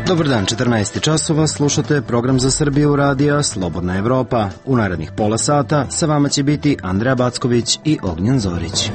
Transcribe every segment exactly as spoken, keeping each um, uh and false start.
Dobar dan, četrnaest časova, slušate program za Srbiju radija Slobodna Evropa. U narednih pola sata sa vama će biti Andreja Backović i Ognjen Zorić.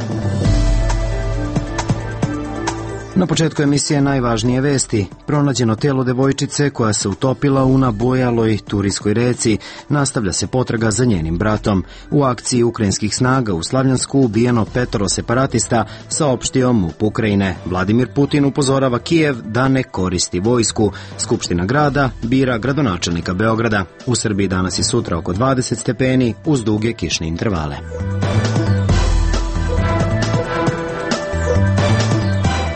Na početku emisije najvažnije vesti. Pronađeno telo devojčice koja se utopila u nabojaloj Turijskoj reci. Nastavlja se potraga za njenim bratom. U akciji ukrajinskih snaga u Slavljansku ubijeno petoro separatista, saopštio MUP Ukrajine. Vladimir Putin upozorava Kijev da ne koristi vojsku. Skupština grada bira gradonačelnika Beograda. U Srbiji danas i sutra oko dvadeset stepeni uz duge kišne intervale.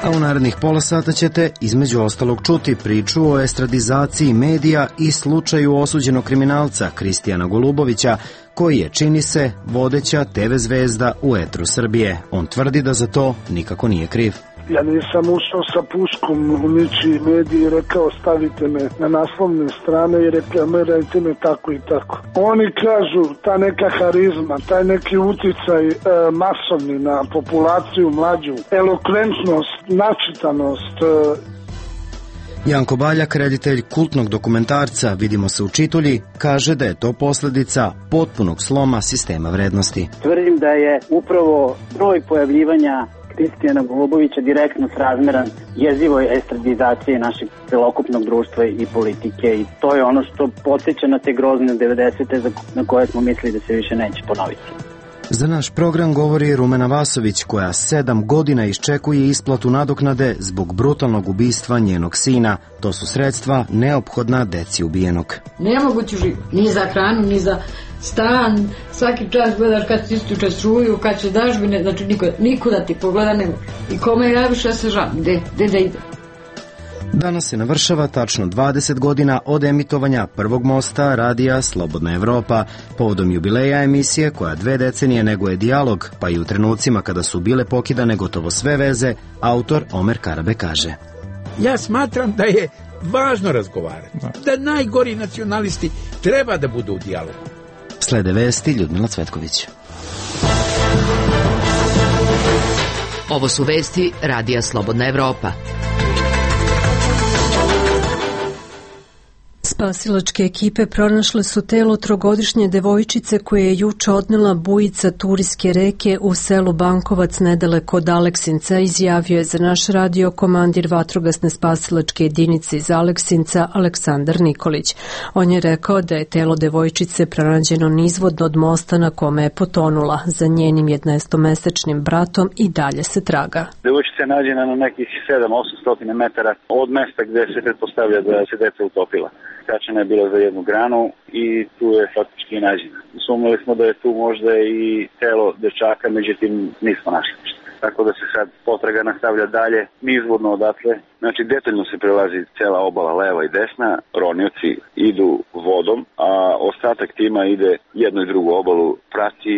A u narednih pola sata ćete između ostalog čuti priču o estradizaciji medija i slučaju osuđenog kriminalca Kristijana Golubovića, koji je, čini se, vodeća te ve zvezda u etru Srbije. On tvrdi da za to nikako nije kriv. Ja nisam ušao sa puškom u ničiji mediji i rekao stavite me na naslovne strane i reklamirajte me tako i tako. Oni kažu ta neka harizma, taj neki uticaj e, masovni na populaciju mlađu, elokventnost, načitanost. E. Janko Baljak, reditelj kultnog dokumentarca Vidimo se u Čitulji, kaže da je to posljedica potpunog sloma sistema vrednosti. Tvrdim da je upravo broj pojavljivanja Kristijana Golubovića direktno srazmeran jezivoj estradizaciji našeg celokupnog društva i politike i to je ono što podsjeća na te grozne devedesete na koje smo mislili da se više neće ponoviti. Za naš program govori Rumena Vasović, koja sedam godina iščekuje isplatu nadoknade zbog brutalnog ubistva njenog sina. To su sredstva neophodna deci ubijenog. Nemoguće živjeti, ni za hranu, ni za stan. Svaki čas gledaš kad ti istuče struju, kad će dažbine, znači niko, nikuda ti pogleda ne može. I kome javiš, ja se žalim, gde, gde da ide. Danas se navršava tačno dvadeset godina od emitovanja prvog mosta radija Slobodna Evropa. Povodom jubileja emisije, koja dve decenije neguje dijalog, pa i u trenucima kada su bile pokidane gotovo sve veze, autor Omer Karabe kaže: Ja smatram da je važno razgovarati, da najgori nacionalisti treba da budu u dijalogu. Slede vesti Ljudmila Cvetković. Ovo su vesti radija Slobodna Evropa. Spasilačke ekipe pronašle su telo trogodišnje devojčice koje je juče odnela bujica Turijske reke u selu Bankovac nedaleko od Aleksinca, izjavio je za naš radio komandir vatrogasne spasilačke jedinice iz Aleksinca Aleksandar Nikolić. On je rekao da je telo devojčice pronađeno nizvodno od mosta na kome je potonula. Za njenim jednaestomesečnim bratom i dalje se traga. Devojčica je nađena na nekih sedam do osam metara od mesta gde se pretpostavlja da se deca utopila. Kačena je bila za jednu granu i tu je faktički i nađena. Sumnjali smo da je tu možda i telo dečaka, međutim nismo našli ništa. Tako da se sad potraga nastavlja dalje, nizvodno odatle. Znači detaljno se prelazi cela obala leva i desna, ronioci idu vodom, a ostatak tima ide jednu i drugu obalu, prati.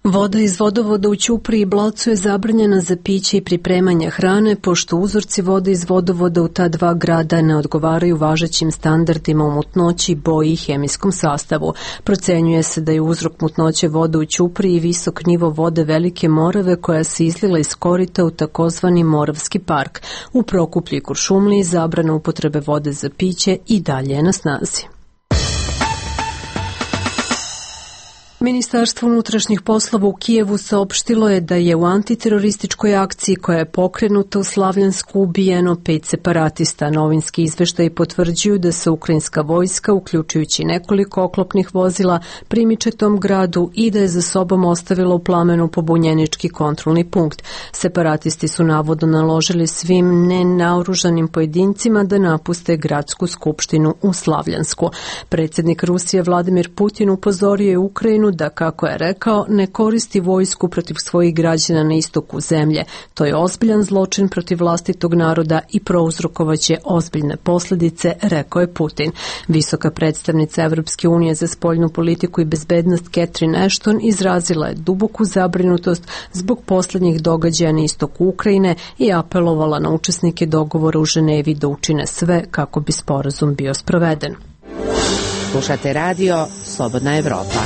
Voda iz vodovoda u Ćupriji i Blacu je zabranjena za piće i pripremanje hrane, pošto uzorci vode iz vodovoda u ta dva grada ne odgovaraju važećim standardima u mutnoći, boji i hemijskom sastavu. Procenjuje se da je uzrok mutnoće vode u Ćupriji visok nivo vode Velike Morave koja se izlila iz korita u takozvani Moravski park. U Prokuplju i Kuršumliji zabrana upotrebe vode za piće i dalje je na snazi. Ministarstvo unutrašnjih poslova u Kijevu saopštilo je da je u antiterorističkoj akciji koja je pokrenuta u Slavljansku ubijeno pet separatista. Novinski izveštaji potvrđuju da se ukrajinska vojska, uključujući nekoliko oklopnih vozila, primiče tom gradu i da je za sobom ostavila u plamenu pobunjenički kontrolni punkt. Separatisti su navodno naložili svim nenaoružanim pojedincima da napuste gradsku skupštinu u Slavljansku. Predsjednik Rusije Vladimir Putin upozorio je Ukrajinu da, kako je rekao, ne koristi vojsku protiv svojih građana na istoku zemlje. To je ozbiljan zločin protiv vlastitog naroda i prouzrokovaće ozbiljne posljedice, rekao je Putin. Visoka predstavnica Evropske unije za spoljnu politiku i bezbednost Catherine Ashton izrazila je duboku zabrinutost zbog posljednjih događaja na istoku Ukrajine i apelovala na učesnike dogovora u Ženevi da učine sve kako bi sporazum bio sproveden. Slušate radio Slobodna Evropa.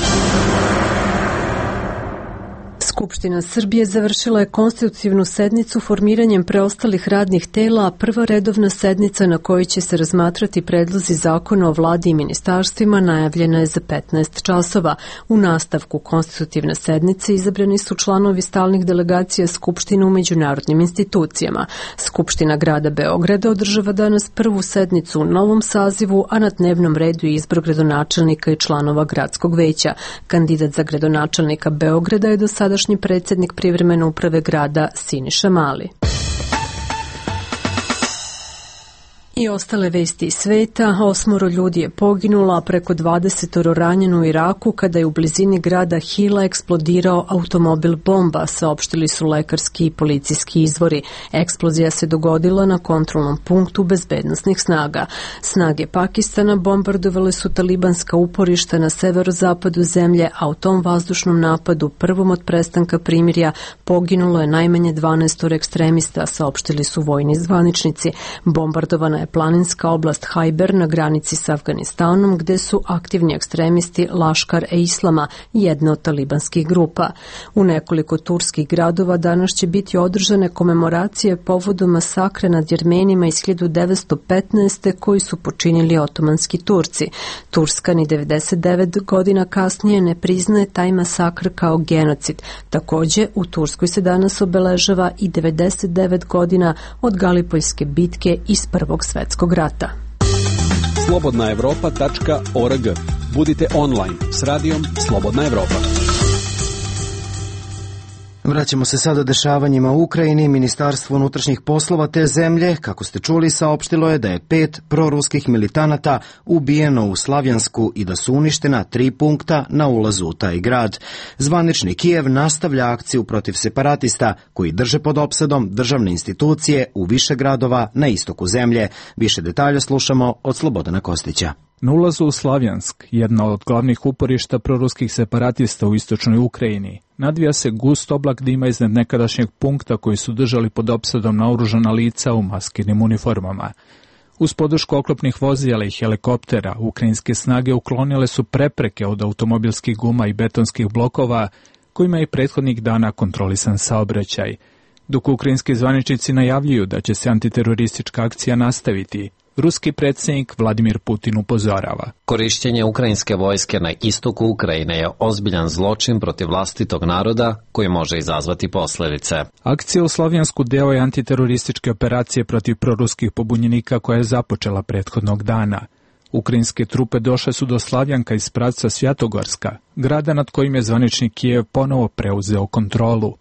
Skupština Srbije završila je konstitutivnu sednicu formiranjem preostalih radnih tela, a prva redovna sednica na kojoj će se razmatrati predlozi zakona o vladi i ministarstvima najavljena je za petnaest časova. U nastavku konstitutivne sednice izabrani su članovi stalnih delegacija Skupštine u međunarodnim institucijama. Skupština grada Beograda održava danas prvu sednicu u novom sazivu, a na dnevnom redu je izbor gradonačelnika i članova gradskog veća. Kandidat za gradonačelnika Beograda je do sadašnji predsjednik privremene uprave grada Siniša Mali. I ostale vesti iz sveta, osmoro ljudi je poginulo, a preko dvadesetoro ranjeno u Iraku kada je u blizini grada Hila eksplodirao automobil bomba, saopštili su lekarski i policijski izvori. Eksplozija se dogodila na kontrolnom punktu bezbednosnih snaga. Snage Pakistana bombardovale su talibanska uporišta na severozapadu zemlje, a u tom vazdušnom napadu, prvom od prestanka primirja, poginulo je najmanje dvanaest ekstremista, saopštili su vojni zvaničnici. Bombardovana je planinska oblast Hajber na granici s Afganistanom, gde su aktivni ekstremisti Laškar e Islama, jedna od talibanskih grupa. U nekoliko turskih gradova danas će biti održane komemoracije povodom masakra nad Jermenima iz hiljadu devetsto petnaeste. koji su počinili otomanski Turci. Turska ni devedeset devet godina kasnije ne priznaje taj masakr kao genocid. Takođe, u Turskoj se danas obeležava i devedeset devet godina od Galipoljske bitke iz Prvog svetskog rata. slobodna evropa tačka org. Budite online s radijom Slobodna Evropa. Vraćamo se sada dešavanjima u Ukrajini. Ministarstvo unutrašnjih poslova te zemlje, kako ste čuli, saopštilo je da je pet proruskih militanata ubijeno u Slavjansku i da su uništena tri punkta na ulazu u taj grad. Zvanični Kijev nastavlja akciju protiv separatista koji drže pod opsadom državne institucije u više gradova na istoku zemlje. Više detalja slušamo od Slobodana Kostića. Na ulazu u Slavjansk, jedna od glavnih uporišta proruskih separatista u istočnoj Ukrajini, nadvija se gust oblak dima iznad nekadašnjeg punkta koji su držali pod opsadom naoružana lica u maskirnim uniformama. Uz podršku oklopnih vozila i helikoptera, ukrajinske snage uklonile su prepreke od automobilskih guma i betonskih blokova kojima je prethodnih dana kontrolisan saobraćaj. Dok ukrajinski zvaničnici najavljuju da će se antiteroristička akcija nastaviti, ruski predsjednik Vladimir Putin upozorava. Korišćenje ukrajinske vojske na istoku Ukrajine je ozbiljan zločin protiv vlastitog naroda koji može izazvati posljedice. Akcija u Slavjansku deo je antiterorističke operacije protiv proruskih pobunjenika koja je započela prethodnog dana. Ukrajinske trupe došle su do Slavjanka iz pravca Svjatogorska, grada nad kojim je zvanični Kijev ponovo preuzeo kontrolu.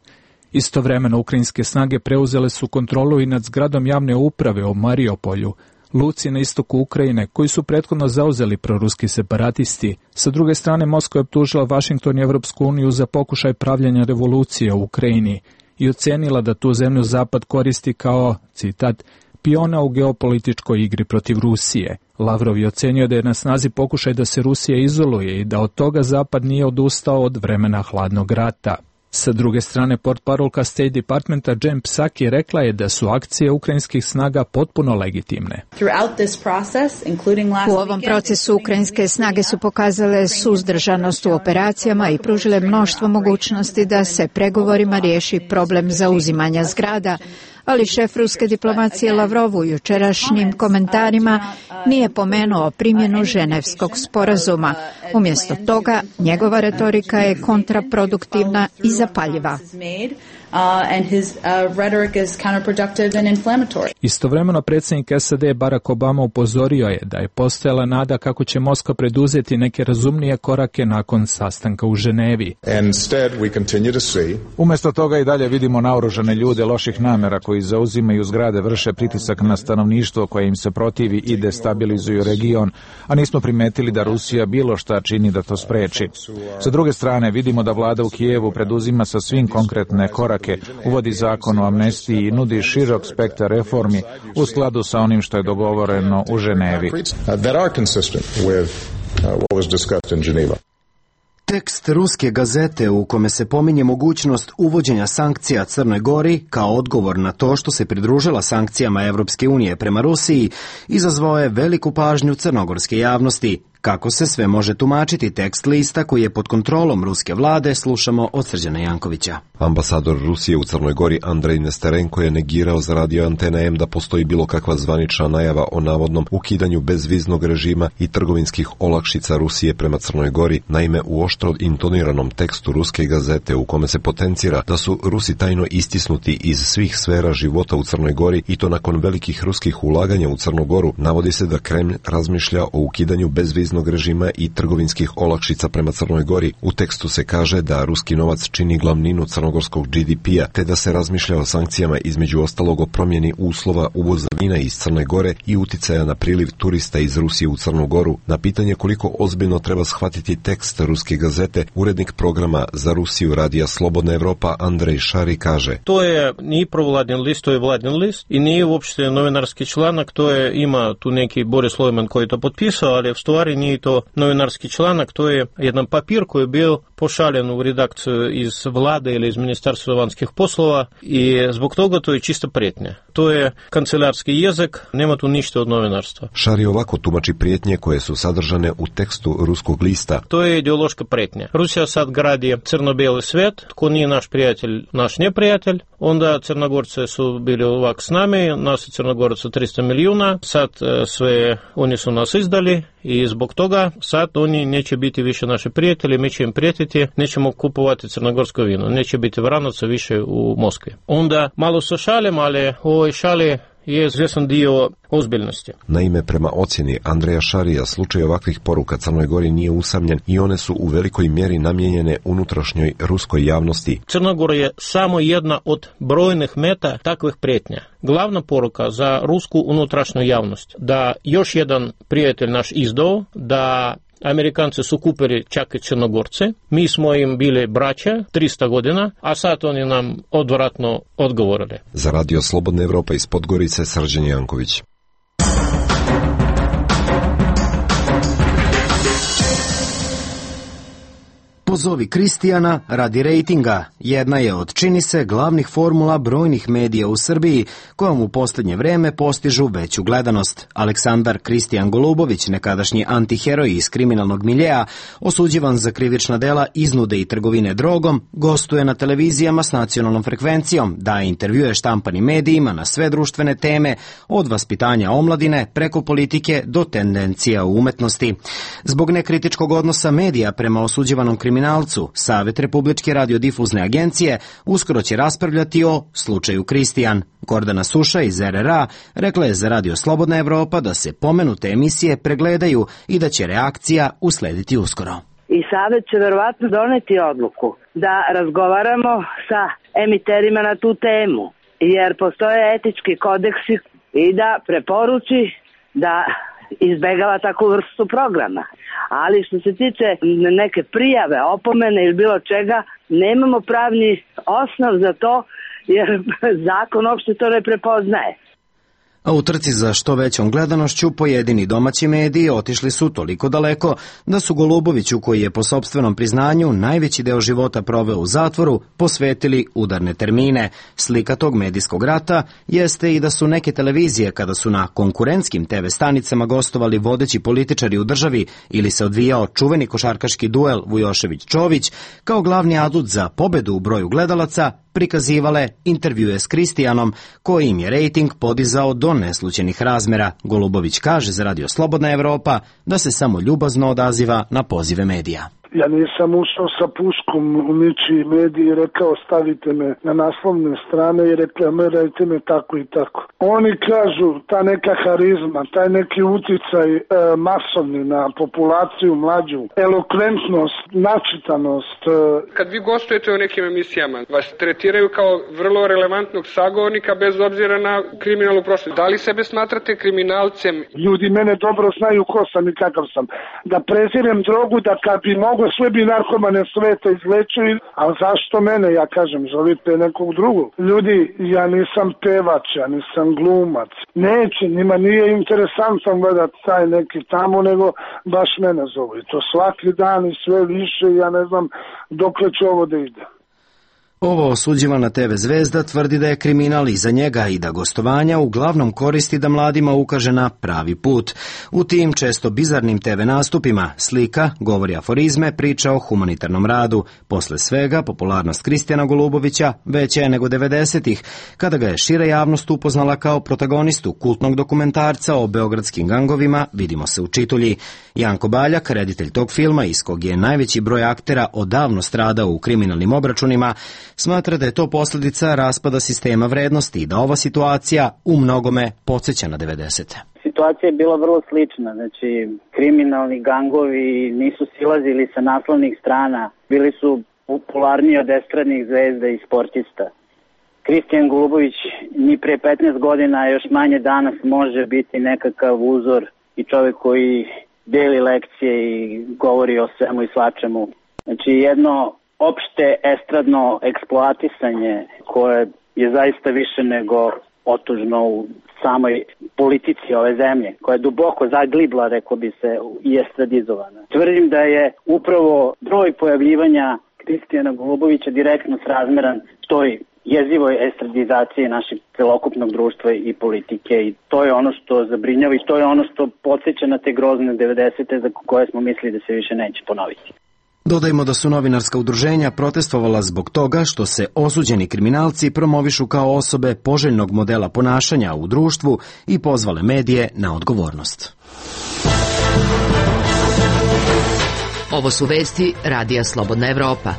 Istovremeno ukrajinske snage preuzele su kontrolu i nad zgradom javne uprave u Mariupolju, luci na istoku Ukrajine, koji su prethodno zauzeli proruski separatisti. Sa druge strane, Moskva je optužila Vašington i Evropsku uniju za pokušaj pravljenja revolucije u Ukrajini i ocenila da tu zemlju Zapad koristi kao, citat, piona u geopolitičkoj igri protiv Rusije. Lavrov je ocenio da je na snazi pokušaj da se Rusija izoluje i da od toga Zapad nije odustao od vremena hladnog rata. Sa druge strane, portparolka State Departmenta Jen Psaki rekla je da su akcije ukrajinskih snaga potpuno legitimne. U ovom procesu ukrajinske snage su pokazale suzdržanost u operacijama i pružile mnoštvo mogućnosti da se pregovorima riješi problem zauzimanja zgrada, ali šef ruske diplomacije Lavrov u jučerašnjim komentarima nije pomenuo primjenu Ženevskog sporazuma. Umjesto toga, njegova retorika je kontraproduktivna i zapaljiva. Istovremeno predsjednik S A D Barack Obama upozorio je da je postojala nada kako će Moskva preduzeti neke razumnije korake nakon sastanka u Ženevi. Umjesto toga i dalje vidimo naoružane ljude loših namjera koji zauzimaju zgrade, vrše pritisak na stanovništvo koje im se protivi i destabilizuju region, a nismo primetili da Rusija bilo šta čini da to spreči. Sa druge strane, vidimo da vlada u Kijevu preduzima sa svim konkretne korake, uvodi zakon o amnestiji i nudi širok spektar reformi u skladu sa onim što je dogovoreno u Ženevi. Tekst ruske gazete u kome se pominje mogućnost uvođenja sankcija Crnoj Gori kao odgovor na to što se pridružila sankcijama Evropske unije prema Rusiji izazvao je veliku pažnju crnogorske javnosti, Kako se sve može tumačiti tekst lista koji je pod kontrolom ruske vlade, slušamo od Srđana Jankovića. Ambasador Rusije u Crnoj Gori Andrej Nesterenko je negirao za radio Antena M da postoji bilo kakva zvanična najava o navodnom ukidanju bezviznog režima i trgovinskih olakšica Rusije prema Crnoj Gori. Naime, u oštro intoniranom tekstu ruske gazete u kome se potencira da su Rusi tajno istisnuti iz svih sfera života u Crnoj Gori i to nakon velikih ruskih ulaganja u Crnu Goru, navodi se da Kremlj razmišlja o ukidanju bezviznog režima i trgovinskih olakšica prema Crnoj Gori. U tekstu se kaže da ruski novac čini glavninu crnogorskog G D P-a, te da se razmišlja o sankcijama, između ostalog o promjeni uslova uvoza vina iz Crne Gore i uticaja na priliv turista iz Rusije u Crnu Goru. Na pitanje koliko ozbiljno treba shvatiti tekst ruske gazete, urednik programa za Rusiju radija Slobodna Evropa Andrej Šari kaže: To je nije provladin list, to je vladin list i nije uopšte novinarski članak, to je ima tu neki Boris Lojman koji to potpisao, ali u stvari nije to novinarski članak, to je jedan papir koji je bio pošaljen u redakciju iz vlade ili iz Ministarstva vanjskih poslova i zbog toga to je čista prijetnja. To je kancelarski jezik, nema tu ništa od novinarstva. Šari ovako tumači prijetnje koje su sadržane u tekstu ruskog lista. To je ideološka prijetnja. Rusija sad gradi crno-bijeli svijet, tko nije naš prijatelj, naš neprijatelj. Onda Crnogorce su bili ovak s nami, nas je Crnogoraca tristo milijuna, sad sve oni su nas izdali i zbog toga sad oni neće biti više naši prijatelji, mi će im prijetiti, nećemo kupovati crnogorsko vino, neće biti vranaca više u Moskvi. Onda malo se šalim, ali u ovoj šali je izvjesan dio ozbiljnosti. Naime, prema ocjeni Andreja Šarija, slučaj ovakvih poruka Crnoj Gori nije usamljen i one su u velikoj mjeri namijenjene unutrašnjoj ruskoj javnosti. Crna Gora je samo jedna od brojnih meta takvih prijetnja. Glavna poruka za rusku unutrašnju javnost da još jedan prijatelj naš izdao, da Amerikanci su kupili čak i Crnogorce, mi smo im bili braća tristo godina, a sad oni nam odvratno odgovorili. Za radio Slobodna Evropa iz Podgorice Srđan Janković. Pozovi Kristijana radi rejtinga jedna je od, čini se, glavnih formula brojnih medija u Srbiji kojom u posljednje vreme postižu veću gledanost. Aleksandar Kristijan Golubović, nekadašnji antiheroj iz kriminalnog miljeja, osuđivan za krivična dela iznude i trgovine drogom, gostuje na televizijama s nacionalnom frekvencijom, daje intervjue štampanim medijima na sve društvene teme, od vaspitanja omladine preko politike do tendencija u umetnosti. Zbog nekritičkog odnosa medija prema osuđivanom kriminalcu, Savet Republičke radiodifuzne agencije uskoro će raspravljati o slučaju Kristijan. Gordana Suša iz R R A rekla je za radio Slobodna Evropa da se pomenute emisije pregledaju i da će reakcija uslediti uskoro. I Savet će verovatno doneti odluku da razgovaramo sa emiterima na tu temu, jer postoje etički kodeksi i da preporuči da izbegava takvu vrstu programa. Ali što se tiče neke prijave, opomene ili bilo čega, nemamo pravni osnov za to, jer zakon uopšte to ne prepoznaje. A u trci za što većom gledanošću pojedini domaći mediji otišli su toliko daleko da su Goluboviću, koji je po sopstvenom priznanju najveći deo života proveo u zatvoru, posvetili udarne termine. Slika tog medijskog rata jeste i da su neke televizije, kada su na konkurentskim te ve stanicama gostovali vodeći političari u državi ili se odvijao čuveni košarkaški duel Vujošević-Čović, kao glavni adut za pobedu u broju gledalaca prikazivale intervjue s Kristijanom, koji im je rejting podizao do neslućenih razmera. Golubović kaže za radio Slobodna Evropa da se samo ljubazno odaziva na pozive medija. Ja nisam ušao sa puškom u ničiji mediji i rekao stavite me na naslovne strane i reklamirajte me tako i tako. Oni kažu ta neka harizma, taj neki uticaj e, masovni na populaciju mlađu, elokventnost, načitanost. E. Kad vi gostujete u nekim emisijama, vas tretiraju kao vrlo relevantnog sagovornika bez obzira na kriminalnu prošlost. Da li sebe smatrate kriminalcem? Ljudi mene dobro znaju ko sam i kakav sam. Da prezirem drogu, da kad bi mogo sve bi narkomane sveta izlečili, a zašto mene, ja kažem, zovite nekog drugog. Ljudi, ja nisam pevač, ja nisam glumac. Neće, njima nije interesantno gledati taj neki tamo, nego baš mene zovu. I to svaki dan i sve više, ja ne znam dokle će ovo da ide. Ovo osuđivana te ve zvezda tvrdi da je kriminal iza njega i da gostovanja uglavnom koristi da mladima ukaže na pravi put. U tim često bizarnim te ve nastupima slika, govori aforizme, priča o humanitarnom radu. Posle svega, popularnost Kristijana Golubovića veća je nego devedesetih, kada ga je šira javnost upoznala kao protagonistu kultnog dokumentarca o beogradskim gangovima Vidimo se u Čitulji. Janko Baljak, reditelj tog filma, iz kog je najveći broj aktera odavno stradao u kriminalnim obračunima, smatra da je to posljedica raspada sistema vrednosti i da ova situacija u mnogome podsjeća na devedesete. Situacija je bila vrlo slična, znači kriminalni gangovi nisu silazili sa naslovnih strana, bili su popularniji od estradnih zvezda i sportista. Kristijan Golubović ni pre petnaest godina, a još manje danas, može biti nekakav uzor i čovjek koji deli lekcije i govori o svemu i svačemu. Znači jedno opšte estradno eksploatisanje koje je zaista više nego otužno u samoj politici ove zemlje, koja je duboko zaglibla, rekao bi se, i estradizovana. Tvrdim da je upravo broj pojavljivanja Kristijana Golubovića direktno srazmeran toj jezivoj estradizaciji našeg celokupnog društva i politike, i to je ono što zabrinjava i to je ono što podsjeća na te grozne devedesete za koje smo mislili da se više neće ponoviti. Dodajmo da su novinarska udruženja protestovala zbog toga što se osuđeni kriminalci promovišu kao osobe poželjnog modela ponašanja u društvu i pozvale medije na odgovornost. Ovo su vesti Radija Slobodna Evropa.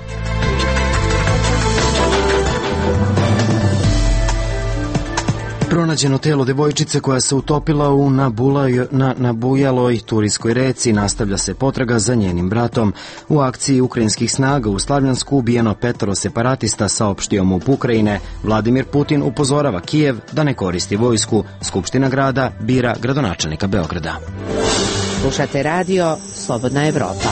Pronađeno telo devojčice koja se utopila u nabulaj, na nabujaloj Turijskoj reci, nastavlja se potraga za njenim bratom. U akciji ukrajinskih snaga u Slavljansku ubijeno petoro separatista, saopštio MUP Ukrajine. Vladimir Putin upozorava Kijev da ne koristi vojsku. Skupština grada bira gradonačelnika Beograda. Slušate radio Slobodna Evropa.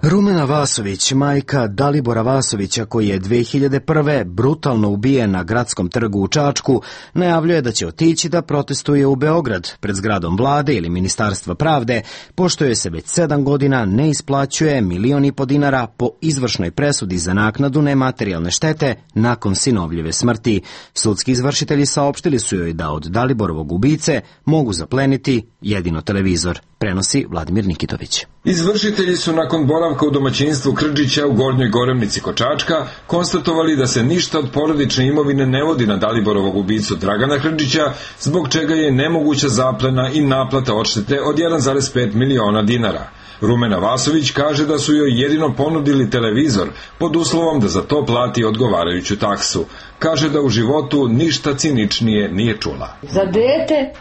Rumena Vasović, majka Dalibora Vasovića, koji je dve hiljade prve brutalno ubijen na gradskom trgu u Čačku, najavljuje da će otići da protestuje u Beograd pred zgradom vlade ili Ministarstva pravde, pošto joj se već sedam godina ne isplaćuje milion i po dinara po izvršnoj presudi za naknadu nematerijalne štete nakon sinovljive smrti. Sudski izvršitelji saopštili su joj da od Daliborovog ubice mogu zapleniti jedino televizor, prenosi Vladimir Nikitović. Izvršitelji su nakon boravka u domaćinstvu Krdžića u Gornjoj Gorevnici kod Čačka konstatovali da se ništa od porodične imovine ne vodi na Daliborovog ubicu Dragana Krdžića, zbog čega je nemoguća zaplena i naplata odštete od jedan zarez pet miliona dinara. Rumena Vasović kaže da su joj jedino ponudili televizor pod uslovom da za to plati odgovarajuću taksu. Kaže da u životu ništa ciničnije nije čula. Za dete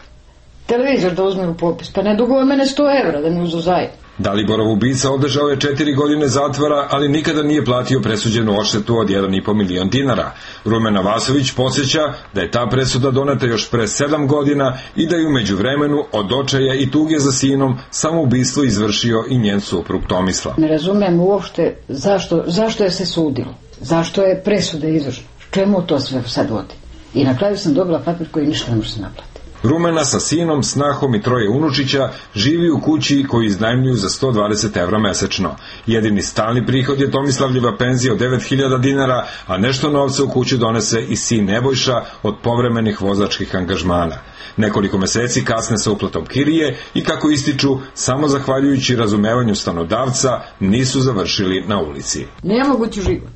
televizor da uzme u popis, pa ne duguje mene sto evra da mi uzu zajedno. Daliborov ubica održao je četiri godine zatvora, ali nikada nije platio presuđenu odštetu od jedan i po milion dinara. Rumena Vasović podsjeća da je ta presuda doneta još pre sedam godina i da je u međuvremenu od očaja i tuge za sinom samoubistvo izvršio i njen suprug Tomislav. Ne razumem uopšte zašto, zašto je se sudilo, zašto je presuda izvršena, čemu to sve sad vodi. I na kraju sam dobila papir koji ništa ne može se naplati. Rumena sa sinom, snahom i troje unučića živi u kući koju iznajmljuju za sto dvadeset evra mesečno. Jedini stalni prihod je Tomislavljeva penzija od devet hiljada dinara, a nešto novca u kuću donese i sin Nebojša od povremenih vozačkih angažmana. Nekoliko meseci kasne sa uplatom kirije i, kako ističu, samo zahvaljujući razumevanju stanodavca nisu završili na ulici. Nemogući život.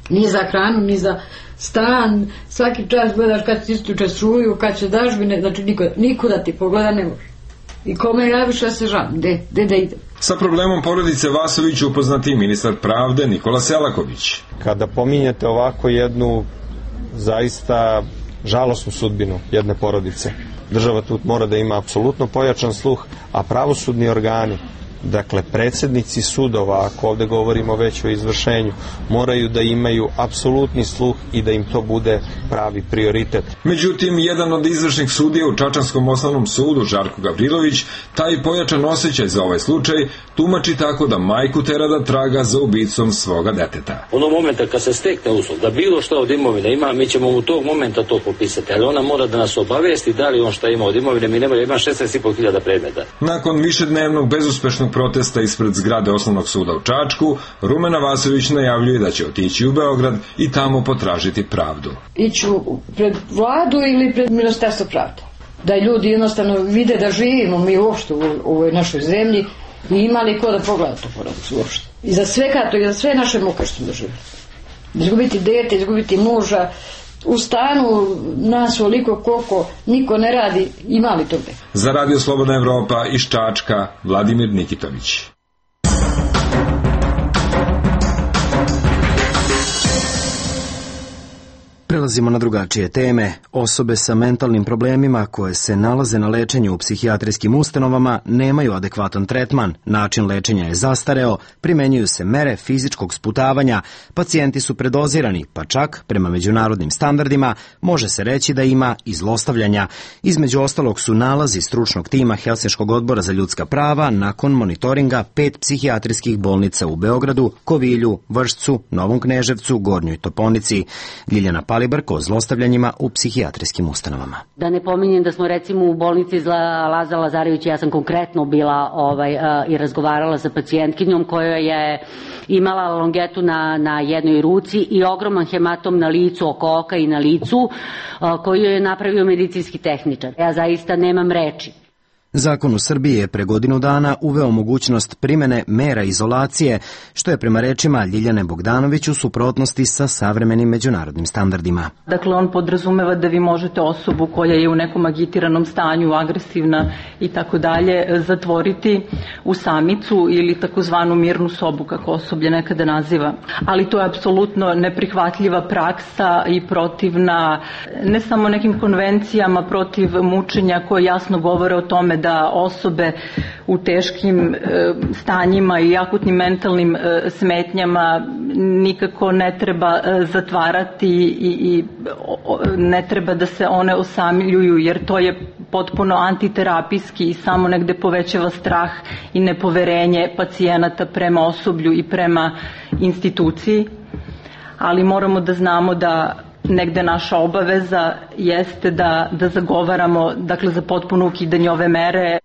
Ni za hranu, ni za stan, svaki čas gledaš kad ti isključe struju, kad će dažbine, znači niko, nikuda ti pogleda ne može. I kome javiš, ja se žalim, de, de, de ide. Sa problemom porodice Vasović upoznati ministar pravde Nikola Selaković. Kada pominjete ovako jednu zaista žalosnu sudbinu jedne porodice, država tu mora da ima apsolutno pojačan sluh, a pravosudni organi, dakle predsjednici sudova, ako ovdje govorimo već o izvršenju, moraju da imaju apsolutni sluh i da im to bude pravi prioritet. Međutim, jedan od izvršnih sudija u Čačanskom osnovnom sudu, Žarko Gavrilović, taj pojačan osjećaj za ovaj slučaj tumači tako da majku tera da traga za ubicom svoga deteta. Ono momenta kad se stekne uslov da bilo što od imovine ima, mi ćemo u tog momenta to popisati, ali ona mora da nas obavijesti da li on šta ima od imovine. Mi nemoj, ima šesnaest i po hiljada predmeta. Nakon višednevnog bezuspešnog protesta ispred zgrade Osnovnog suda u Čačku, Rumena Vasović najavljuje da će otići u Beograd i tamo potražiti pravdu. Iću pred vladu ili pred Ministarstvo pravde. Da ljudi jednostavno vide da živimo mi uopšte u ovoj našoj zemlji i imali ko da pogleda to porodicu uopšte. I za sve kato, i za sve naše muke što smo doživjeli. Izgubiti dete, izgubiti muža, u stanu nas oliko koliko niko ne radi, imali toga. Za Radio Slobodna Evropa iz Čačka, Vladimir Nikitović. Prelazimo na drugačije teme. Osobe sa mentalnim problemima koje se nalaze na lečenju u psihijatrijskim ustanovama nemaju adekvatan tretman, način lečenja je zastareo, primenjuju se mere fizičkog sputavanja, pacijenti su predozirani, pa čak, prema međunarodnim standardima, može se reći da ima i zlostavljanja. Između ostalog su nalazi stručnog tima Helsinškog odbora za ljudska prava nakon monitoringa pet psihijatrijskih bolnica u Beogradu, Kovilju, Vršcu, Novom Kneževcu, Gornjoj Toponici. Ljiljana Palibarko o zlostavljanjima u psihijatrijskim ustanovama. Da ne pominjem da smo recimo u bolnici Laza Lazarević, ja sam konkretno bila ovaj, uh, i razgovarala sa pacijentkinjom koja je imala longetu na, na jednoj ruci i ogroman hematom na licu, oko oka i na licu, uh, koju je napravio medicinski tehničar. Ja zaista nemam reči. Zakon u Srbiji je pre godinu dana uveo mogućnost primene mera izolacije, što je prema rečima Ljiljane Bogdanović u suprotnosti sa savremenim međunarodnim standardima. Dakle, on podrazumeva da vi možete osobu koja je u nekom agitiranom stanju, agresivna i tako dalje, zatvoriti u samicu ili takozvanu mirnu sobu, kako osoblje nekada naziva. Ali to je apsolutno neprihvatljiva praksa i protivna ne samo nekim konvencijama protiv mučenja koje jasno govore o tome da osobe u teškim e, stanjima i akutnim mentalnim e, smetnjama nikako ne treba e, zatvarati i, i o, ne treba da se one osamljuju, jer to je potpuno antiterapijski i samo negde povećava strah i nepoverenje pacijenata prema osoblju i prema instituciji. Ali moramo da znamo da negde naša obaveza jeste da, da zagovaramo, dakle, za potpuno ukidanje ove mere.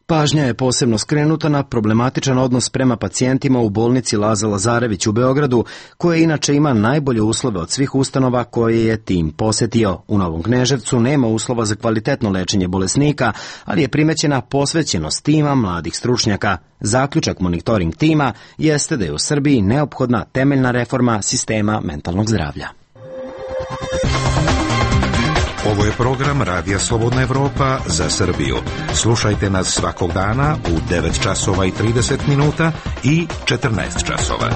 Pažnja je posebno skrenuta na problematičan odnos prema pacijentima u bolnici Laza Lazarević u Beogradu, koja inače ima najbolje uslove od svih ustanova koje je tim posetio. U Novom Kneževcu nema uslova za kvalitetno lečenje bolesnika, ali je primećena posvećenost tima mladih stručnjaka. Zaključak monitoring tima jeste da je u Srbiji neophodna temeljna reforma sistema mentalnog zdravlja. Ovo je program Radija Slobodna Evropa za Srbiju. Slušajte nas svakog dana u devet časova i trideset minuta i četrnaest časova.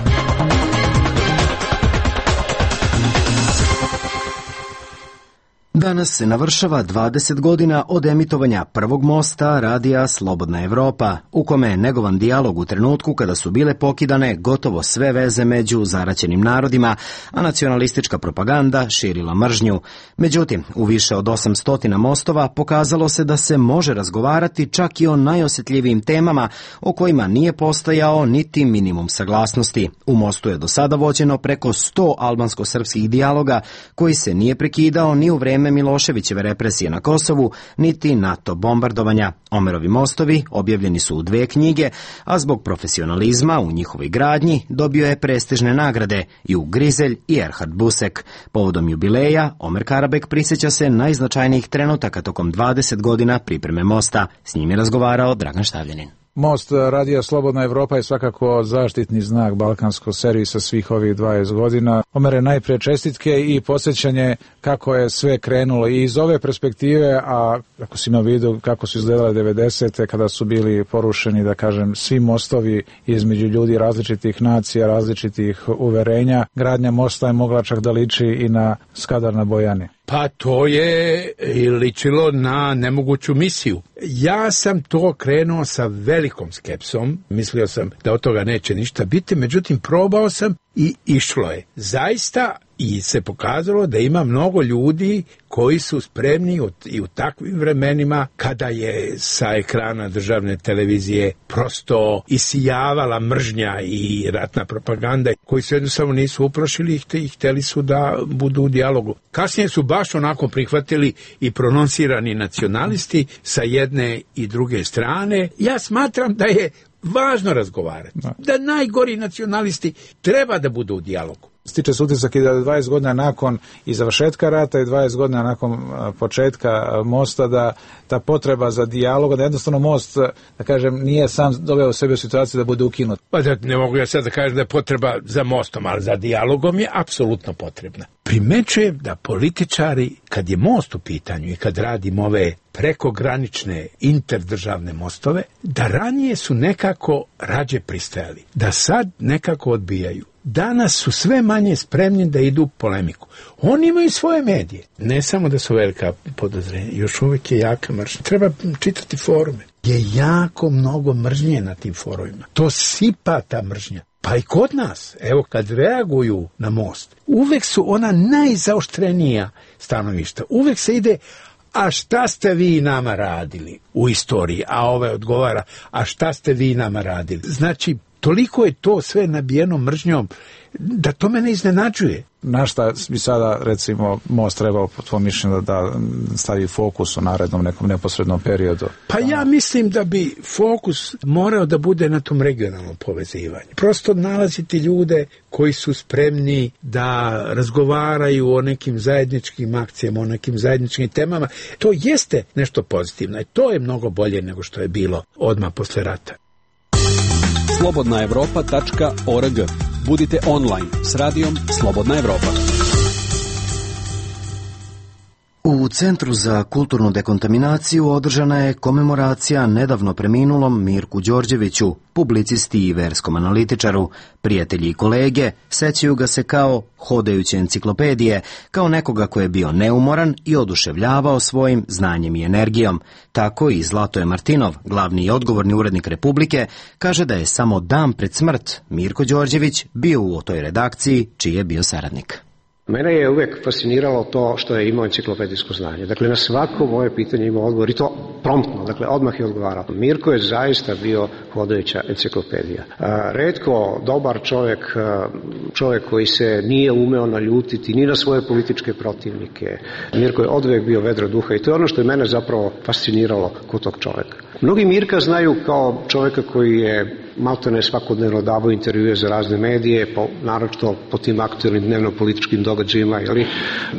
Danas se navršava dvadeset godina od emitovanja prvog mosta radija Slobodna Evropa, u kome je negovan dijalog u trenutku kada su bile pokidane gotovo sve veze među zaraćenim narodima, a nacionalistička propaganda širila mržnju. Međutim, u više od osamsto mostova pokazalo se da se može razgovarati čak i o najosjetljivijim temama o kojima nije postojao niti minimum saglasnosti. U mostu je do sada vođeno preko sto albansko-srpskih dijaloga koji se nije prekidao ni u vreme Miloševićeve represije na Kosovu, niti NATO bombardovanja. Omerovi mostovi objavljeni su u dve knjige, a zbog profesionalizma u njihovoj gradnji dobio je prestižne nagrade i u Grizelj i Erhard Busek. Povodom jubileja, Omer Karabek prisjeća se najznačajnijih trenutaka tokom dvadeset godina pripreme mosta. S njim je razgovarao Dragan Štavljanin. Most Radija Slobodna Evropa je svakako zaštitni znak balkanskog servisa svih ovih dvadeset godina. Omere, najprije čestitke i podsjećanje kako je sve krenulo i iz ove perspektive, a ako si imao vidu kako su izgledale devedesete kada su bili porušeni, da kažem, svi mostovi između ljudi različitih nacija, različitih uverenja, gradnja mosta je mogla čak da liči i na Skadar na Bojani. Pa to je ličilo na nemoguću misiju. Ja sam to krenuo sa velikom skepsom, mislio sam da od toga neće ništa biti, međutim probao sam i išlo je. Zaista i se pokazalo da ima mnogo ljudi koji su spremni i u takvim vremenima kada je sa ekrana državne televizije prosto isijavala mržnja i ratna propaganda, koji se jednostavno nisu uplašili i hteli su da budu u dijalogu. Kasnije su baš onako prihvatili i prononsirani nacionalisti sa jedne i druge strane. Ja smatram da je važno razgovarati. Da, da najgori nacionalisti treba da budu u dijalogu. Stiče se utisak i da dvadeset godina nakon i završetka rata i dvadeset godina nakon početka mosta, da ta potreba za dijalog, da jednostavno most, da kažem, nije sam doveo sebe u situaciju da bude ukinut. Pa da, ne mogu ja sad da kažem da je potreba za mostom, ali za dijalogom je apsolutno potrebna. Primećujem da političari, kad je most u pitanju i kad radimo ove prekogranične interdržavne mostove, da ranije su nekako rađe pristajali, da sad nekako odbijaju. Danas su sve manje spremni da idu u polemiku. Oni imaju svoje medije. Ne samo da su velika podozrenja, još uvijek je jaka mržnja. Treba čitati forume. Je jako mnogo mržnje na tim forumima. To sipa ta mržnja. Pa i kod nas, evo kad reaguju na most, uvek su ona najzaoštrenija stanovišta. Uvek se ide, a šta ste vi nama radili u istoriji? A ovaj odgovara, a šta ste vi nama radili? Znači, toliko je to sve nabijeno mržnjom da to mene iznenađuje. Na šta bi sada, recimo, most trebao po tvojom mišljenju da stavi fokus u narednom nekom neposrednom periodu? Pa ja mislim da bi fokus morao da bude na tom regionalnom povezivanju. Prosto nalaziti ljude koji su spremni da razgovaraju o nekim zajedničkim akcijama, o nekim zajedničkim temama. To jeste nešto pozitivno i to je mnogo bolje nego što je bilo odmah posle rata. slobodna evropa tačka org. Budite online s radijom Slobodna Evropa. U Centru za kulturnu dekontaminaciju održana je komemoracija nedavno preminulom Mirku Đorđeviću, publicisti i verskom analitičaru. Prijatelji i kolege sećaju ga se kao hodajuće enciklopedije, kao nekoga ko je bio neumoran i oduševljavao svojim znanjem i energijom. Tako i Zlatoje Martinov, glavni i odgovorni urednik Republike, kaže da je samo dan pred smrt Mirko Đorđević bio u toj redakciji čiji je bio saradnik. Mene je uvek fasciniralo to što je imao enciklopedijsko znanje. Dakle, na svako moje pitanje imao odgovor i to promptno, dakle, odmah je odgovarao. Mirko je zaista bio hodajuća enciklopedija. A, retko dobar čovjek, čovjek koji se nije umeo naljutiti ni na svoje političke protivnike. Mirko je odvek bio vedro duha i to je ono što je mene zapravo fasciniralo kod tog čovjeka. Mnogi Mirka znaju kao čovjeka koji je maltene svakodnevno davao intervjue za razne medije, po, naročito po tim aktualnim dnevno-političkim događajima, jeli,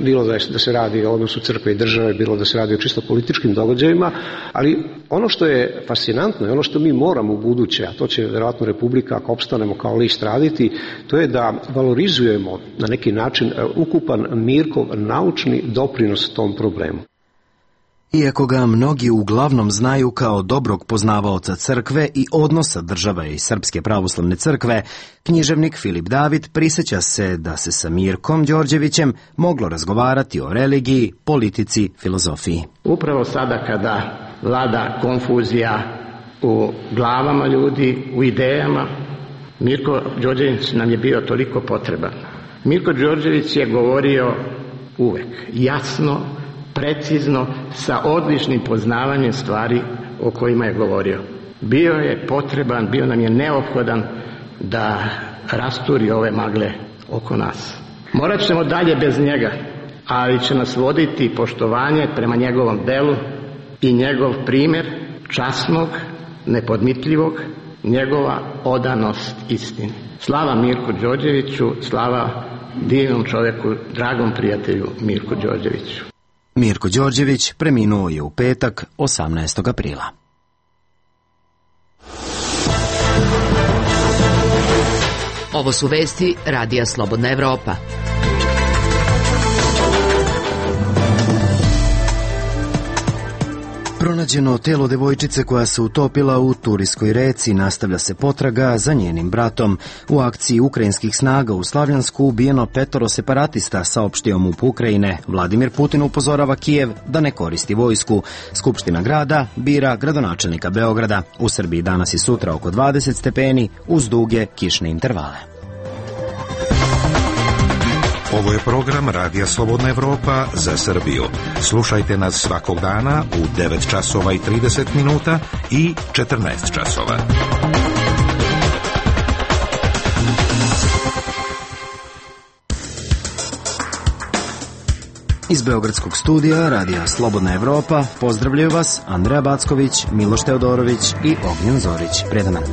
bilo da, je, da se radi o odnosu crkve i države, bilo da se radi o čisto političkim događajima, ali ono što je fascinantno i ono što mi moramo u buduće, a to će vjerojatno Republika, ako opstanemo kao list, raditi, to je da valorizujemo na neki način ukupan Mirkov naučni doprinos tom problemu. Iako ga mnogi uglavnom znaju kao dobrog poznavaoca crkve i odnosa države i Srpske pravoslavne crkve, književnik Filip David prisjeća se da se sa Mirkom Đorđevićem moglo razgovarati o religiji, politici, filozofiji. Upravo sada kada vlada konfuzija u glavama ljudi, u idejama, Mirko Đorđević nam je bio toliko potreban. Mirko Đorđević je govorio uvek jasno, precizno, sa odličnim poznavanjem stvari o kojima je govorio. Bio je potreban, bio nam je neophodan da rasturi ove magle oko nas. Morat ćemo dalje bez njega, ali će nas voditi poštovanje prema njegovom delu i njegov primjer časnog, nepodmitljivog, njegova odanost istini. Slava Mirku Đorđeviću, slava divnom čovjeku, dragom prijatelju Mirku Đorđeviću. Mirko Đorđević preminuo je u petak, osamnaestog aprila. Ovo su vesti Radija Slobodna Evropa. Pronađeno telo devojčice koja se utopila u Turijskoj reci, nastavlja se potraga za njenim bratom. U akciji ukrajinskih snaga u Slavjansku ubijeno petoro separatista, saopštio MUP Ukrajine. Vladimir Putin upozorava Kijev da ne koristi vojsku. Skupština grada bira gradonačelnika Beograda. U Srbiji danas i sutra oko dvadeset stepeni uz duge kišne intervale. Ovo je program Radija Slobodna Evropa za Srbiju. Slušajte nas svakog dana u devet časova i trideset minuta i četrnaest časova. Iz Beogradskog studija Radija Slobodna Evropa pozdravljaju vas Andreja Backović, Miloš Teodorović i Ognjen Zorić. Predaman.